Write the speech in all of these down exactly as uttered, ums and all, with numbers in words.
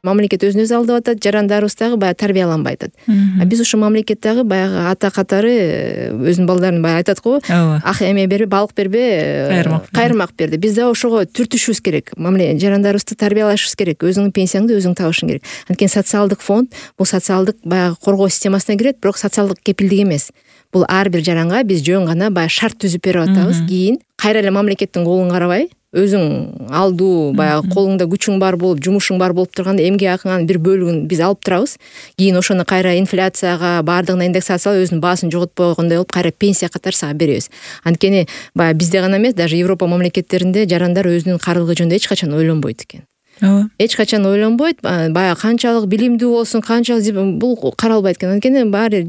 Мамлекет өзүн өзү алдап атат, жарандарыбыз дагы баягы тарбияланбай атат. А биз ушул мамлекет дагы баягы ата катары өзүнүн балдарын баягы айтат го, ак эме бербе, балык бербе, кайырмак берди. Биз дагы ошого түртүшүбүз керек. Мамлекет жарандарыбызды тарбиялашыбыз керек. Өзүңдүн пенсияңды өзүң табышың керек. Анткени социалдык фонд бул социалдык баягы коргоо системасына кирет, бирок социалдык кепилдик эмес. Бул ар бир жаранга биз жөн гана баягы шарт түзүп берип атабыз. Кийин кайра эле мамлекеттин колун карабай, өзүң алдуу баягы колуңда күчүң бар болуп, жумушуң бар болуп турганда эмгек акыңанын бир бөлүгүн биз алып турабыз. Кийин ошону кайра инфляцияга, баардыгына индексациялап, өзүнүн баасын жоготпой койгондой болуп, кайра пенсия катары сага беребиз. Анткени баягы бизде гана эмес, даже Европа мамлекеттеринде жарандар өзүнүн каарылыгы жөнүндө эч качан ойлонбойт экен. Ооба. Эч качан ойлонбойт, баягы канчалык билимдүү болсун, канчалык бул каралбайт экен. Анткени баары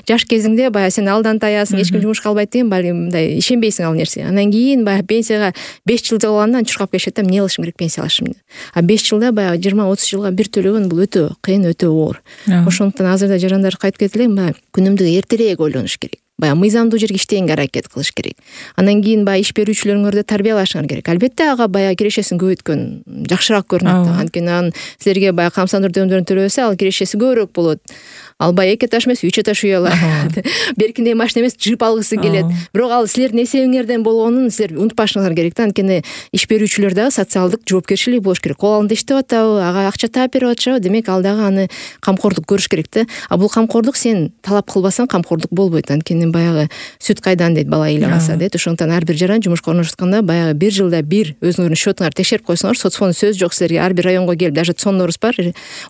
жаш кезиңде баягы сен алдан таясың, эч ким жумушка албайт деген баягы мындай ишенбейсиң ал нерсеге. Андан кийин баягы пенсияга беш жыл калганда чуркап келишет да, эмне кылышым керек пенсия алышым деп. А беш жылда баягы жыйырма отуз жылга бир төлөгөн бул өтө кыйын, өтө оор. Ошондуктан азырда жарандар кайтып кетип элем, баягы күнүмдүк эртерээк ойлонуш керек. Баягы мыйзамдуу жерге иштегенге аракет кылыш керек. Андан кийин баягы иш берүүчүлөрүңөрдү тарбиялашыңар керек. Албетте ага баягы кирешесин көбөйткөн жакшыраак көрүнөт. Анткени анын силерге баягы камсандыруу төлөмдөрүн төлөбөсө, ал кирешеси көбүрөөк болот. Ал баягы эки этаж эмес, үч этаж үй алат. Беркиндей машина эмес, джип алгысы келет. Бирок ал силердин эсебиңерден болгонун силер унутпашыңар керек да. Анткени иш берүүчүлөр дагы социалдык жоопкерчилиги болуш керек. Кол алдында иштеп атабы, ага акча таап берип атышабы, демек ал дагы аны камкордук көрүш керек да. А бул камкордук сен талап кылбасаң камкордук болбойт. Анткени баягы сүт кайдан дейт, бала ыйлап алса дейт. Ошондуктан ар бир жаран жумушка орношутканда баягы бир жылда бир өзүңөрдүн счетуңарды текшерип койсоңор, соцфонд сөзү жок силерге. Ар бир районго келип, даже цоннорубуз бар.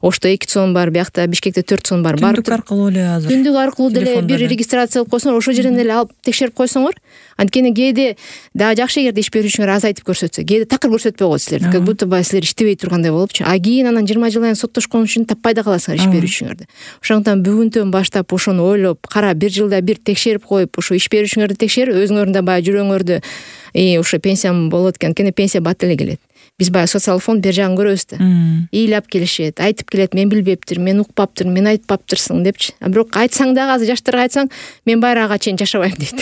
Ошто эки цон бар, биякта Бишкекте төрт цон бар. Түндүк аркылуу эле азыр. Түндүк аркылуу деле бир регистрация кылып койсоңор, ошол жерден эле алып текшерип койсоңор, анткени кээде дагы жакшы эгерде иш берүүчүңөр азайтып көрсөтсө, кээде такыр көрсөтпөй коет силерди. Как будто баягы силер иштебей тургандай болупчу. А кийин анан жыйырма жылдан соттошкон үчүн таппай да каласыңар иш берүүчүңөрдү. Ошондуктан бүгүнтөн баштап ошону ойлоп, кара бир жылда бир текшерип коюп, ошо иш берүүчүңөрдү текшерип, өзүңөрдүн да баягы жүрөгүңөрдү и ошо пенсиям болот экен. Анткени пенсия бат эле келет. Биз баягы социалдык фонд бер жагын көрөбүз да. Ыйлап келишет, айтып келет, мен билбептирмин, мен укпаптырмын, мен айтпаптырсың депчи. А бирок айтсаң дагы азыр жаштарга айтсаң, мен байрага чейин жашабайм дейт.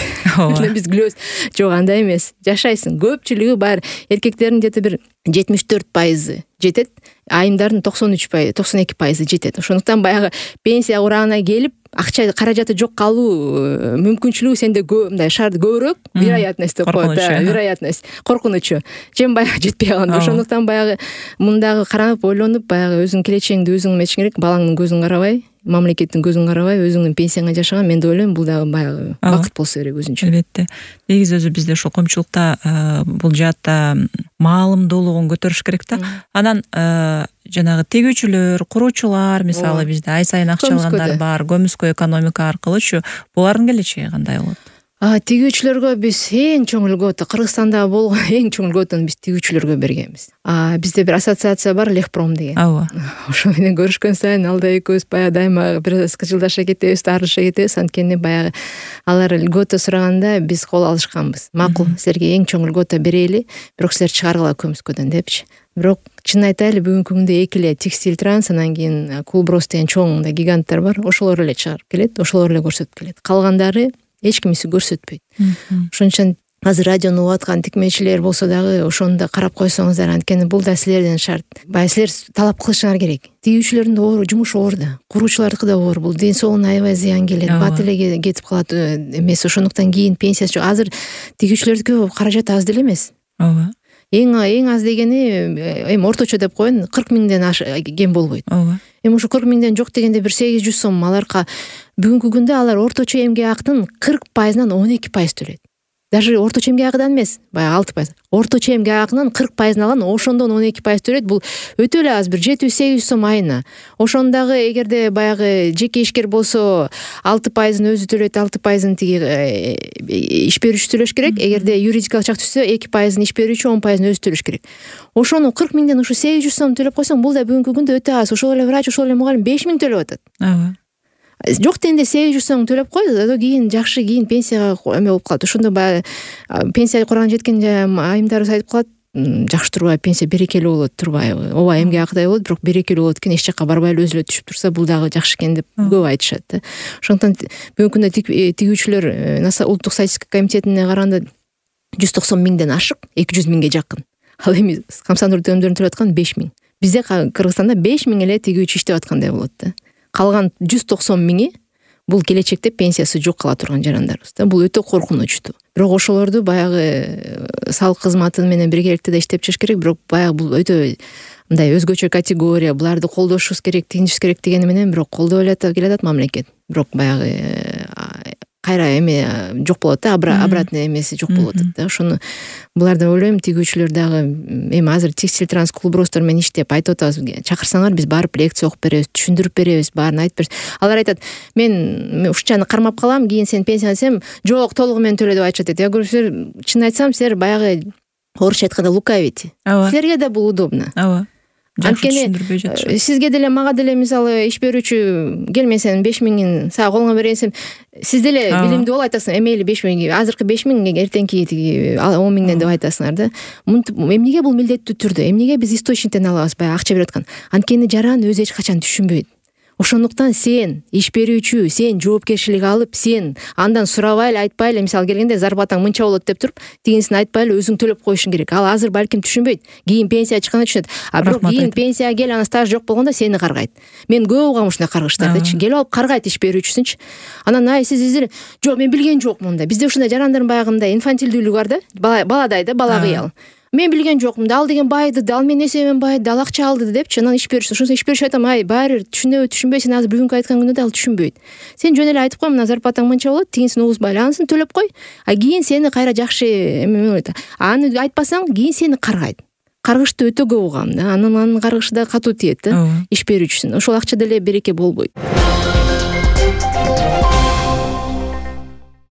Биз күлөбүз. Жок, андай эмес. Жашайсың. Көпчүлүгү баары эркектердин где-то бир жетимиш төрт пайызы жетет, айымдардын токсон үч пайызы, токсон эки пайызы жетет. Ошондуктан баягы пенсия урагына келип, акча каражаты жок калуу мүмкүнчүлүгү сенде көп, мындай шарт көбүрөөк, вероятность деп коет, вероятность, коркунучу. Чем баягы жетпей калганда. Ошондуктан баягы мындагы каранып, ойлонуп, баягы өзүңдүн келечегиңди өзүң эметишиң керек, балаңдын көзүн карабай, мамлекеттин көзүн карабай, өзүңдүн пенсияңа жашаган, мен деп ойлойм, бул дагы баягы бакыт болсо керек өзүнчө. Албетте. Негизи өзү бизде ошол коомчулукта бул жаатта маалымдуулугун көтөрүш керек да. Анан жанагы тегүүчүлөр, куруучулар, мисалы бизде ай сайын акча алгандар бар, көмүскө экономика аркылычы, булардын келечеги кандай болот? Тигүүчүлөргө биз эң чоң үлгү, Кыргызстанда болгон эң чоң үлгүн биз тигүүчүлөргө бергенбиз. А бизде бир ассоциация бар, Лехпром деген. Ооба. Ошо менен көрүшкөн сайын алда экөөбүз баягы дайыма бир кыжылдаша кетебиз, таарылыша кетебиз. Анткени баягы алар үлгөтө сураганда биз кол алышканбыз. Макул, силерге эң чоң үлгөтө берели, бирок силер чыгаргыла көмүскөдөн депчи. Бирок чын айтайлы, бүгүнкү күндө эки эле Текстиль Транс, анан кийин Кулброс деген чоң мындай гиганттар бар. Ошолор эле чыгарып келет, ошолор эле көрсөтүп келет. Калгандары эч кимиси көрсөтпөйт. Ошон үчүн азыр радиону угуп аткан тикмечилер болсо дагы ошону да карап койсоңуздар, анткени бул да силердин шарт. Баягы силер талап кылышыңар керек. Тигүүчүлөрдүн да оор, жумушу оор да, куруучулардыкы да оор. Бул ден соолугуна аябай зыян келет, бат эле кетип калат эмес. Ошондуктан кийин пенсиясы жок. Азыр тигүүчүлөрдүкү каражат аз деле эмес. Ооба. Эң эң аз дегени эми орточо деп коеюн, кырк миңден кем болбойт. Ооба. Эми ошо кырк миңден жок дегенде бир сегиз жүз сом аларга бүгүнкү күндө алар орточо эмгек актын кырк пайызынан он эки пайыз төлөйт. Даже орточо эмгек акыдан эмес, баягы алты пайыз. Орточо эмгек акынын кырк пайызын алган, ошондон он эки пайыз төлөйт. Бул өтө эле аз, бир жети жүз сегиз жүз сом айына. Ошондагы эгерде баягы жеке ишкер болсо алты пайызын өзү төлөйт, алты пайызын тиги иш берүүчү төлөш керек. Эгерде юридикалык жак түшсө эки пайызын иш берүүчү, он пайызын өзү төлөш керек. Ошону кырк миңден ушу сегиз жүз сом төлөп койсоң, бул да бүгүнкү күндө өтө аз. Ошол эле врач, ошол эле мугалим беш миң төлөп атат. Ооба. Жок дегенде сегиз жүз сом төлөп кой, да кийин жакшы, кийин пенсияга эме болуп калат. Ошондо баягы пенсия кураган жеткен айымдарыбыз айтып калат, жакшы турбайбы, пенсия берекелүү болот турбайбы. Ооба, эмгек акыдай болот, бирок берекелүү болот экен, эч жакка барбай эле өзү эле түшүп турса, бул дагы жакшы экен деп көп айтышат да. Ошондуктан бүгүнкү күндө тигүүчүлөр улуттук статистика комитетине караганда жүз токсон миңден ашык, эки жүз миңге жакын. Ал эми камсандыруу төлөмдөрүн төлөп аткан беш миң. бизде Кыргызстанда беш миң эле тигүүчү иштеп аткандай болот да. Калган жүз токсон миңи бул келечекте пенсиясы жок кала турган жарандарыбыз да. Бул өтө коркунучтуу. Бирок ошолорду баягы салык кызматы менен биргеликте да иштеп чыгыш керек. Бирок баягы бул өтө мындай өзгөчө категория, буларды колдошубуз керек, тигинишибиз керек дегени менен бирок колдой эле келатат мамлекет. Бирок баягы кайра эме жок болот да, обратный эмеси жок болуп атат да. Ошону буларды ойлойм, тигүүчүлөр дагы эми азыр текстиль трансклубростор менен иштеп айтып атабыз, чакырсаңар биз барып лекция окуп беребиз, түшүндүрүп беребиз, баарын айтып беребиз. Алар айтат, мен ушунчаны кармап калам, кийин сен пенсияны жок толугу менен төлө деп айтышат. Я говорю, силер чын айтсам, силер баягы орусча айтканда лукавите. Силерге да бул удобно. Ооба. Анткени сизге деле мага деле мисалы иш берүүчү кел мен сенин беш миңин сага колуңа берейин десем, сиз деле билимдүү болуп айтасың, эмели беш миң, азыркы беш миң, эртеңки тиги он миңден деп айтасыңар да. Мынтип эмнеге бул милдеттүү түрдө, эмнеге биз источниктен алабыз, баягы акча берип аткан. Анткени жаран өзү эч качан түшүнбөйт. Ошондуктан сен иш берүүчү, сен жоопкерчилик алып, сен андан сурабай эле, айтпай эле, мисалы келгенде зарплатаң мынча болот деп туруп, тигинсин айтпай эле өзүң төлөп коюшуң керек. Ал азыр балким түшүнбөйт. Кийин пенсия чыкканда түшүнөт. А бирок кийин пенсияга кел, анан стаж жок болгондо сени каргайт. Мен көп угам ушундай каргыштардычы. Келип алып каргайт иш берүүчүсүнчү. Анан ай сиз издер, жок мен билген жокмун да. Бизде ушундай жарандардын баягындай инфантилдүүлүгү бар да, баладай да, бала кыял. Мен билген жокмун да, ал деген байды да, ал менин эсебимен байды да, ал акча алды депчи, анан иш берүүчү. Ошондо иш берүүчү айтам, ай баары бир түшүнөбү, түшүнбөй, сен азыр бүгүнкү айткан күндө да ал түшүнбөйт. Сен жөн эле айтып кой, мына зарплатаң мынча болот, тигинсин угузбай эле, анысын төлөп кой. А кийин сени кайра жакшы эме болот. Аны айтпасаң, кийин сени каргайт. Каргышты өтө көп угам да. Анын анын каргышы да катуу тиет да, иш берүүчүсүн. Ошол акча деле береке болбойт.